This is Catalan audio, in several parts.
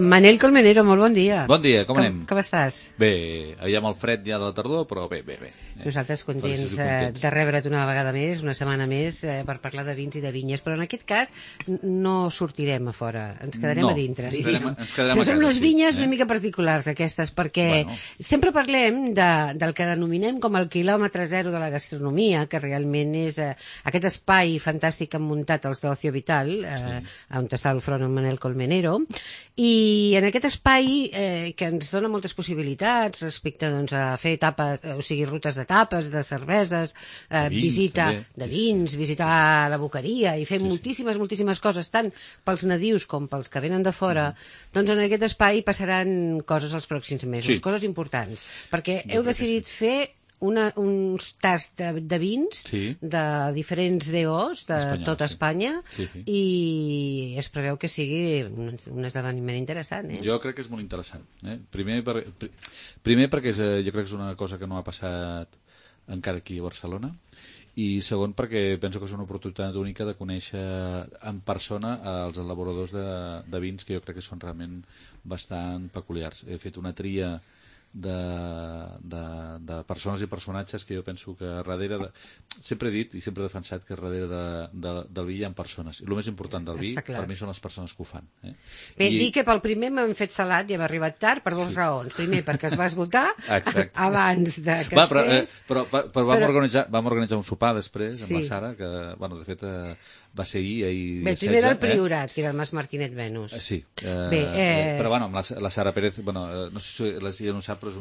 Manel Colmenero, molt bon dia. Bon dia, com anem? Com estàs? Bé, aviam el fred ja de la tardor, però bé. Nosaltres contents de rebre't una vegada més, una setmana més, per parlar de vins i de vinyes, però en aquest cas no sortirem a fora, ens quedarem a dintre. Ens quedarem a casa. Són unes vinyes una mica particulars, aquestes, perquè sempre parlem del que denominem com el quilòmetre zero de la gastronomia, que realment és aquest espai fantàstic que han muntat els d'Ocio Vital, on està al front en Manel Colmenero, i en aquest espai que ens dona moltes possibilitats respecte a fer etapes, o sigui, rutes d'etapes, de cerveses, visita de vins, visitar la boqueria i fer moltíssimes coses, tant pels nadius com pels que venen de fora, doncs en aquest espai passaran coses els pròxims mesos, coses importants, perquè heu decidit fer uns tasts de vins de diferents DOs de tota Espanya i es preveu que sigui un esdeveniment interessant. Jo crec que és molt interessant. Primer perquè jo crec que és una cosa que no ha passat encara aquí a Barcelona, i segon perquè penso que és una oportunitat única de conèixer en persona els elaboradors de vins, que jo crec que són realment bastant peculiars. He fet una tria de persones i personatges que jo penso que darrere sempre he dit i sempre he defensat que darrere del vi hi ha persones, i el més important del vi per mi són les persones que ho fan. Bé, dir que pel primer m'han fet salat i hem arribat tard per dues raons. Primer, perquè es va esgotar abans de que es fes. Però vam organitzar un sopar després amb la Sara, que de fet va ser ahir. Bé, primer era el Priorat, que era el Mas Martinet Venus. Sí, però amb la Sara Pérez, no sé si ja no sap, però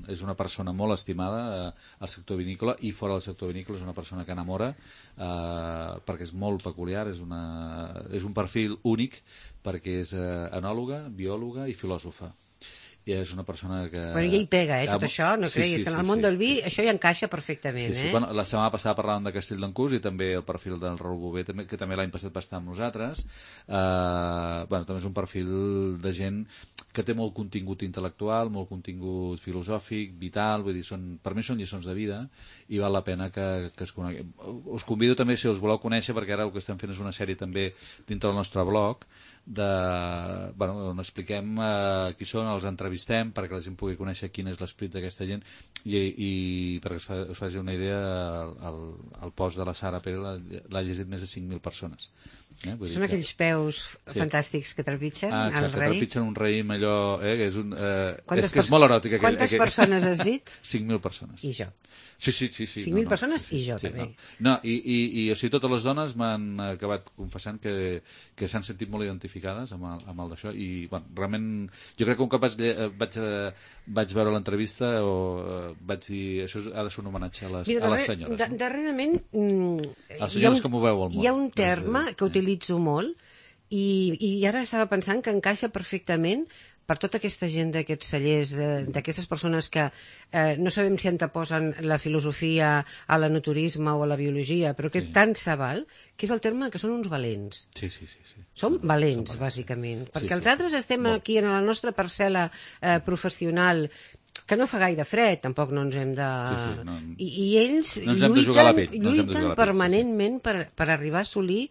és una persona molt estimada al sector vinícola, i fora del sector vinícola és una persona que enamora, perquè és molt peculiar, és un perfil únic, perquè és enòloga, biòloga i filòsofa. I és una persona que... Bueno, ja hi pega, tot això, no creguis, que en el món del vi això hi encaixa perfectament. La setmana passada parlàvem de Castell d'Encús i també el perfil del Raül Bové, que també l'any passat va estar amb nosaltres. També és un perfil de gent que té molt contingut intel·lectual, molt contingut filosòfic, vital, vull dir, per mi són lliçons de vida i val la pena que es coneguin. Us convido també, si els voleu conèixer, perquè ara el que estem fent és una sèrie també dintre del nostre blog, on expliquem qui són, els entrevistem perquè la gent pugui conèixer quin és l'esperit d'aquesta gent, i perquè us faci una idea, el post de la Sara Pérez l'ha llegit més de 5.000 persones. Són aquells peus fantàstics que trepitgen el rei. Que trepitgen un raïm allò, que és molt eròtic. Quantes persones has dit? 5.000 persones. I jo. Sí. 5.000 persones i jo també. I o sigui, totes les dones m'han acabat confessant que s'han sentit molt identificades amb el d'això, i realment jo crec que un cop vaig veure l'entrevista vaig dir, això ha de ser un homenatge a les senyores. Darrerament les senyores que moveu el món. Hi ha un terme que utilitzo molt i ara estava pensant que encaixa perfectament per tota aquesta gent d'aquests cellers, d'aquestes persones que no sabem si anteposen la filosofia a l'enoturisme o a la biologia, però que tant se val, que és el terme que són uns valents. Sí. Som valents, bàsicament, perquè els altres estem aquí en la nostra parcel·la professional, que no fa gaire fred, tampoc no ens hem de... I ells lluiten permanentment per arribar a assolir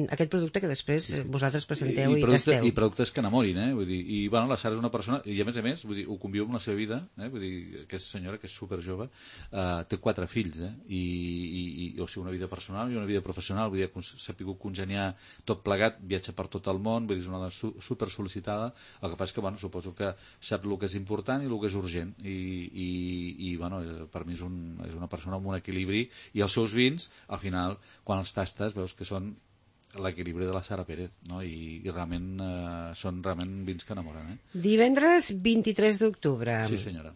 aquest producte que després vosaltres presenteu i tasteu. I productes que enamorin, vull dir, i la Sara és una persona, i a més, vull dir, ho conviu amb la seva vida, vull dir, aquesta senyora, que és superjove, té 4 fills, o sigui, una vida personal i una vida professional, vull dir, s'ha pogut congeniar tot plegat, viatja per tot el món, vull dir, és una dona super sol·licitada, el que passa és que, suposo que sap el que és important i el que és urgent, i per mi és una persona amb un equilibri, i els seus vins, al final, quan els tastes, veus que són l'equilibri de la Sara Pérez, no? I realment són vins que enamoren. Divendres 23 d'octubre. Sí, senyora.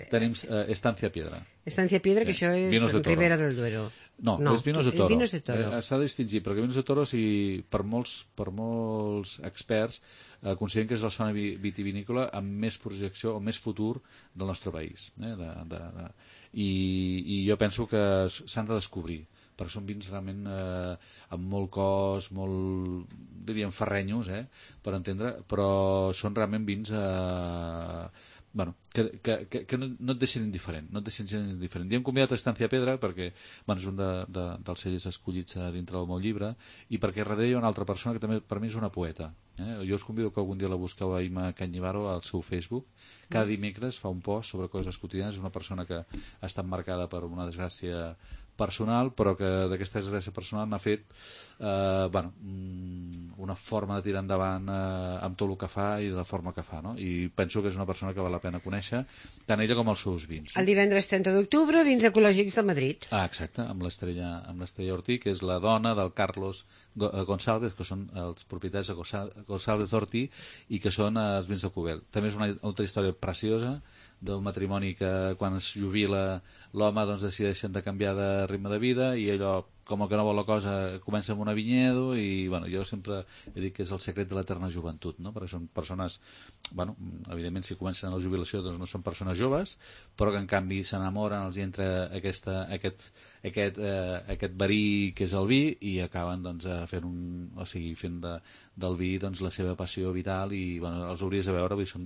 Tenim Estancia Piedra. Estancia Piedra, que això és Ribera del Duero. No, és Vinos de Toro. Vinos de Toro. S'ha de distingir, perquè Vinos de Toro, per molts experts, consideren que és la zona vitivinícola amb més projecció o més futur del nostre país. I jo penso que s'han de descobrir, perquè són vins realment amb molt cos, molt, diríem, ferrenyos, per entendre, però són realment vins que no et deixin indiferent, I hem convidat a Estancia Pedra perquè és un dels cellers escollits dintre del meu llibre i perquè darrere hi ha una altra persona que també per mi és una poeta. Jo us convido que algun dia la busqueu a Ima Canyivaro al seu Facebook. Cada dimecres fa un post sobre coses quotidianes. És una persona que ha estat marcada per una desgràcia personal, però que d'aquesta desgràcia personal n'ha fet una forma de tirar endavant amb tot el que fa i de la forma que fa, no? I penso que és una persona que val la pena conèixer, tant ella com els seus vins. El divendres 30 d'octubre, Vins Ecològics de Madrid. Exacte, amb l'Estrella Ortí, que és la dona del Carlos González, que són els propietaris de González Ortí i que són els vins de Cubel. També és una altra història preciosa d'un matrimoni que quan es jubila l'home decideixen de canviar de ritme de vida i allò, com que no vol la cosa, comença amb una vinyedo i jo sempre he dit que és el secret de l'eterna joventut, no? Perquè són persones, evidentment si comencen a la jubilació no són persones joves, però que en canvi s'enamoren, els hi entra aquest verí que és el vi i acaben fent del vi la seva passió vital i els hauries de veure, són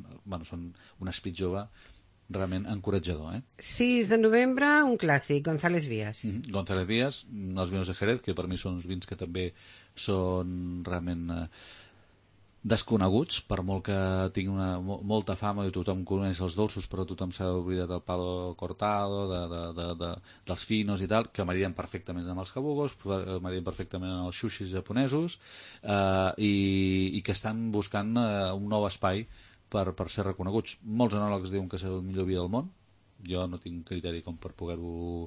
un espit jove realment encoratjador. 6 de novembre, un clàssic, González Vías. González Vías, els vinos de Jerez, que per mi són uns vins que també són realment desconeguts, per molt que tinguin molta fama i tothom coneix els dolços, però tothom s'ha oblidat del palo cortado, dels finos i tal, que marien perfectament amb els cabugos, marien perfectament amb els sushis japonesos, i que estan buscant un nou espai per ser reconeguts. Molts enòlegs diuen que és el millor vi del món. Jo no tinc criteri com per poder-ho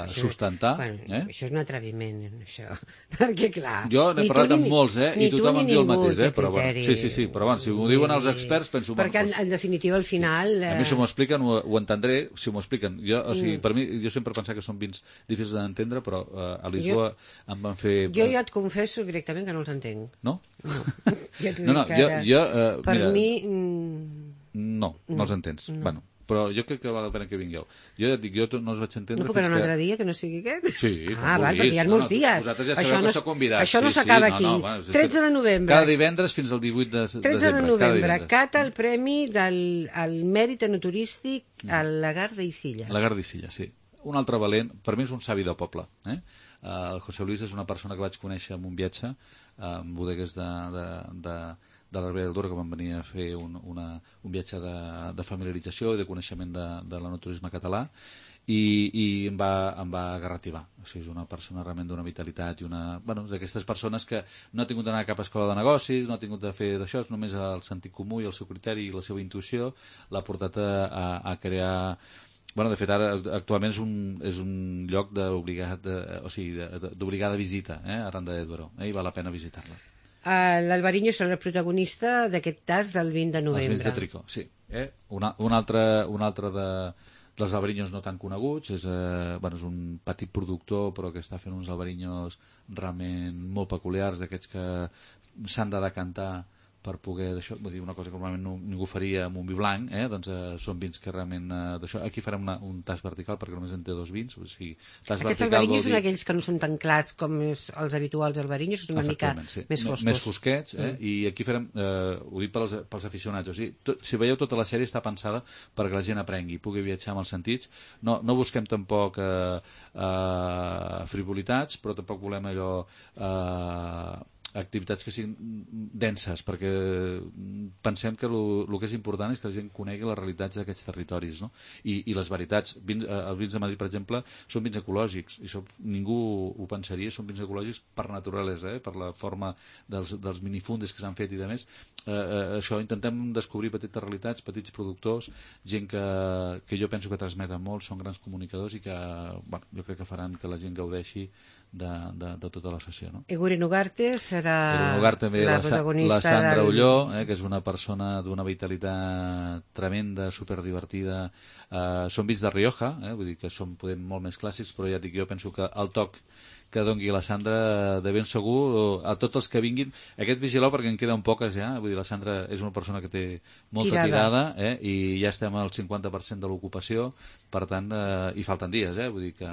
sustentar. Això és un atreviment, això. Perquè, clar... Jo n'he parlat amb molts, i tothom em diu el mateix, però sí, però si m'ho diuen els experts, penso... Perquè, en definitiva, al final... A mi, si m'ho expliquen, ho entendré, si m'ho expliqen. Per mi, jo sempre he pensat que són vins difícils d'entendre, però a Lisboa em van fer... Jo ja et confesso directament que no els entenc. No? No, per mi... No els entens. Però jo crec que val la pena que vingueu. Jo ja et dic, jo no els vaig entendre... No puc anar un altre dia que no sigui aquest? Sí, perquè hi ha molts dies. Vosaltres ja sabeu que sou convidats. Això no s'acaba aquí. 13 de novembre. Cada divendres fins al 18 de desembre. 13 de novembre, cata el premi del mèrit enoturístic al Lagar d'Isilla. Lagar d'Isilla, sí. Un altre valent, per mi és un savi de poble. El José Luis és una persona que vaig conèixer en un viatge en bodegues de la Ribera del Duero, que van venir a fer un viatge de familiarització i de coneixement de l'enoturisme català i em va garrativar. O sigui, és una persona realment d'una vitalitat i d'aquestes persones que no ha tingut d'anar a cap escola de negocis, no ha tingut de fer d'això, només el sentit comú i el seu criteri i la seva intuïció l'ha portat a crear... de fet, ara actualment és un lloc d'obligada visita arran de Duero, i val la pena visitar-la. L'Alvariño serà el protagonista d'aquest tas del 20 de novembre. Els vins de Tricó, sí. Un altre dels albarinyos no tan coneguts, és un petit productor però que està fent uns albarinyos realment molt peculiars, d'aquests que s'han de decantar per poder d'això, vull dir, una cosa que normalment ningú faria amb un vi blanc, doncs són vins que realment d'això. Aquí farem un tas vertical perquè només en té 2 vins, o sigui, aquests albarinyos són aquells que no són tan clars com els habituals albarinyos, són una mica més foscos. Més fosquets, i aquí farem, ho dic pels aficionats, o sigui, si veieu tota la sèrie està pensada perquè la gent aprengui, pugui viatjar amb els sentits, no busquem tampoc frivolitats, però tampoc volem allò activitats que siguin denses, perquè pensem que el que és important és que la gent conegui les realitats d'aquests territoris, no? I les veritats. Els vins de Madrid, per exemple, són vins ecològics, i això ningú ho pensaria, són vins ecològics per naturalesa, per la forma dels minifundes que s'han fet i de més. Això, intentem descobrir petites realitats, petits productors, gent que jo penso que transmeten molt, són grans comunicadors i que jo crec que faran que la gent gaudeixi de tota la sessió, no? Eguren Ugarte serà també la protagonista. La Sandra Ulló, que és una persona d'una vitalitat tremenda, superdivertida. Són vins de Rioja, vull dir que són molt més clàssics, però ja dic, jo penso que el toc que dongui la Sandra, de ben segur, a tots els que vinguin, aquest vigileu perquè en queden poques ja, vull dir, la Sandra és una persona que té molta tirada, i ja estem al 50% de l'ocupació, per tant, i falten dies, vull dir que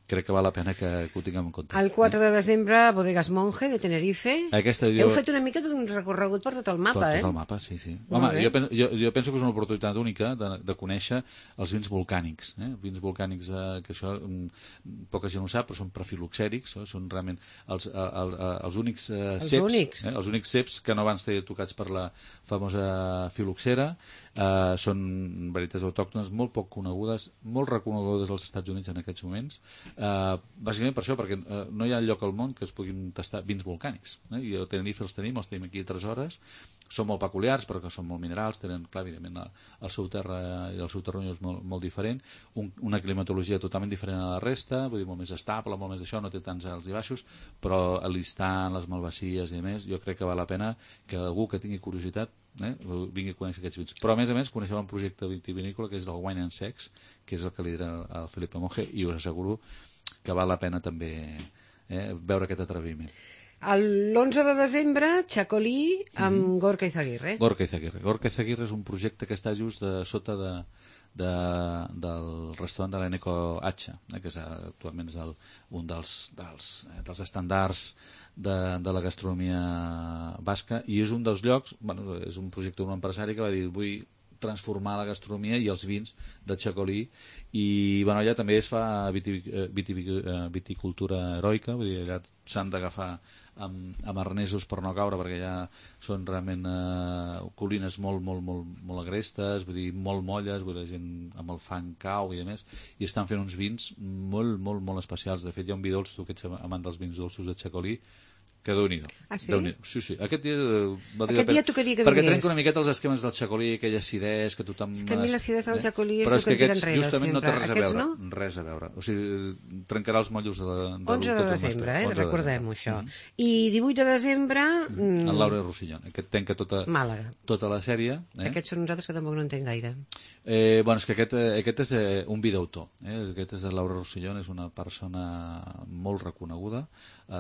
crec que val la pena que ho tinguem en compte. El 4 de desembre, Bodegas Monge, de Tenerife. Heu fet una mica un recorregut per tot el mapa, Per tot el mapa, sí. Home, jo penso que és una oportunitat única de conèixer els vins volcànics. Vins volcànics, que això poca gent ho sap, però són prefiloxèrics, són realment els únics ceps, els únics ceps que no van ser tocats per la famosa filoxera. Són varietats autòctones molt poc conegudes, molt reconegudes als Estats Units en aquests moments, bàsicament per això, perquè no hi ha lloc al món que es puguin tastar vins volcànics, i a Tenerife els tenim aquí a 3 hores, són molt peculiars perquè són molt minerals, tenen, clar, evidentment el seu terra i el seu terreny és molt diferent, una climatologia totalment diferent a la resta, vull dir, molt més estable, molt més d'això, no té tants alts i baixos, però l'Istan, les Malvacies i més, jo crec que val la pena que algú que tingui curiositat vingui a conèixer aquests vins. Però a més coneixem un projecte vitivinícola que és del Wine and Sex, que és el que lidera el Felipe Monge, i us asseguro que val la pena també veure aquest atreviment. L'11 de desembre, Chacolí amb Gorka Izaguirre. Gorka Izaguirre és un projecte que està just sota del restaurant de l'Eneco H, que actualment és un dels estàndards de la gastronomia basca, i és un dels llocs, és un projecte d'un empresari que va dir vull transformar la gastronomia i els vins de Chacolí, i allà també es fa viticultura heroica, vull dir, allà s'han d'agafar amb arnesos per no caure, perquè ja són realment colines molt agrestes, vull dir, molt molles, vull dir, la gent amb el fang cau i a més, i estan fent uns vins molt especials. De fet, hi ha un vi dolç, tu que ets amant dels vins dolços de Chacolí, que Déu-n'hi-do. Ah, sí? Sí. Aquest dia tocaria que perquè vingués. trenca una miqueta els esquemes del Chacolí, aquella acidesa que tothom... És que a mi l'acidesa del Chacolí és però el que em tira enrere, justament sempre. No té res a veure. No? Res a veure. O sigui, trencarà els mollos de 11 de desembre, recordem-ho, això. I 18 de desembre... El Laura Rossellón. Aquest tanca Màlaga. Tota la sèrie. Aquests són nosaltres que tampoc no entenc gaire. És que aquest és un vi d'autor. Aquest és el Laura Rossellón, és una persona molt reconeguda,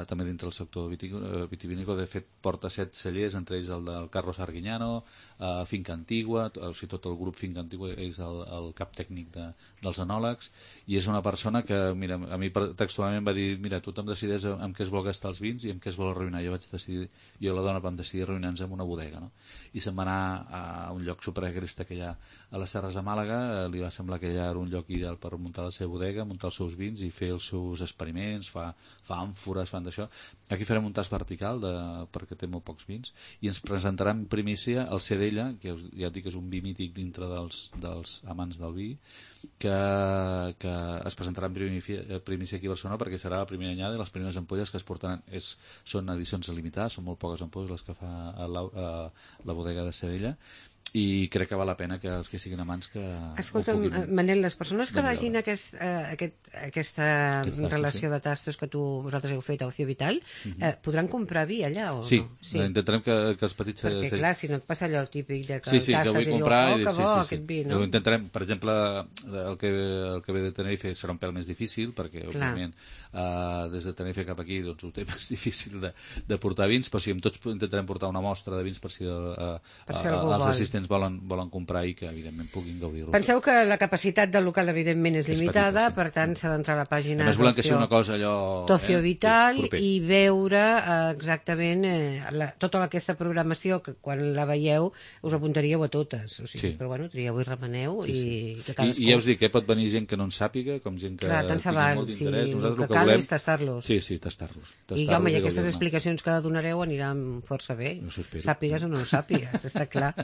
també dintre del sector vitivinícola. De fet, porta 7 cellers, entre ells el del Carlos Arguiñano, Finca Antigua, o sigui, tot el grup Finca Antigua és el cap tècnic dels enòlegs, i és una persona que, mira, a mi textualment va dir, mira, tothom decideix amb què es vol gastar els vins i amb què es vol arruïnar. Jo i la dona vam decidir arruïnar-nos en una bodega, no? I se'n va anar a un lloc superagresta que hi ha a les Terres de Màlaga, li va semblar que allà era un lloc ideal per muntar la seva bodega, muntar els seus vins i fer els seus experiments, fa àmfores, fan d'això. Aquí farem un tast vertical perquè té molt pocs vins, i ens presentarà en primícia el C d'ella, que ja et dic que és un vi mític dintre dels amants del vi, que es presentarà en primícia aquí a Barcelona, perquè serà la primera anyada i les primeres ampolles que es portaran són edicions limitades, són molt poques ampolles les que fa la bodega de Sedella, i crec que val la pena que els que siguin amants que... Escolta'm, Manel, les persones que vagin a aquesta relació de tastos que vosaltres heu fet a Ocio Vital, podran comprar vi allà o sí, no? Sí, intentarem que els petits... Perquè, clar, si no et passa allò típic de que tastes que vull comprar i diu, que bo, aquest vi, no? Intentarem, per exemple, el que ve de Tenerife serà un pèl més difícil, perquè, òbviament, des de Tenerife cap aquí ho té més difícil de portar vins, però sí, amb tots intentarem portar una mostra de vins per si els assistents volen comprar i que evidentment puguin gaudir-ho. Penseu que la capacitat del local evidentment és limitada, per tant s'ha d'entrar a la pàgina d'Ocio Vital i veure exactament tota aquesta programació que quan la veieu us apuntaríeu a totes, però bueno, trieu i remeneu i que cadascú... I ja us dic, pot venir gent que no en sàpiga, com gent que tingui molt d'interès. El que cal és tastar-los. Sí, tastar-los. I home, i aquestes explicacions que donareu aniran força bé, sàpigues o no ho sàpigues, està clar.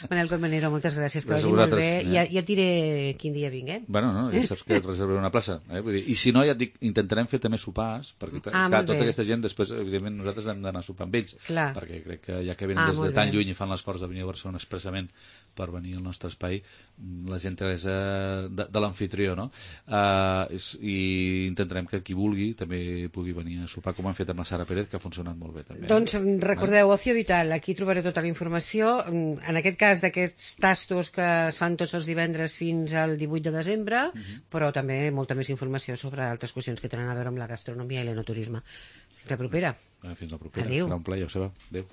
Manel Colmenero, moltes gràcies, que vagi molt bé. Ja et diré quin dia vinguem. Bueno, no, ja saps que et reservaré una plaça. Vull dir, i si no, ja et dic, intentarem fer també sopars, perquè tota aquesta gent, després, evidentment, nosaltres hem d'anar a sopar amb ells, perquè crec que ja que venen des de tan lluny i fan l'esforç de venir a Barcelona expressament per venir al nostre espai, la gent és de l'amfitrió, no? I intentarem que qui vulgui també pugui venir a sopar, com han fet amb la Sara Pérez, que ha funcionat molt bé també. Doncs recordeu, Ocio Vital, aquí trobareu tota la informació. En aquest cas, d'aquests tastos que es fan tots els divendres fins al 18 de desembre, però també molta més informació sobre altres qüestions que tenen a veure amb la gastronomia i l'enoturisme. Fins la propera. Fins la propera. Adéu. Serà un plaer, Joseba. Adéu.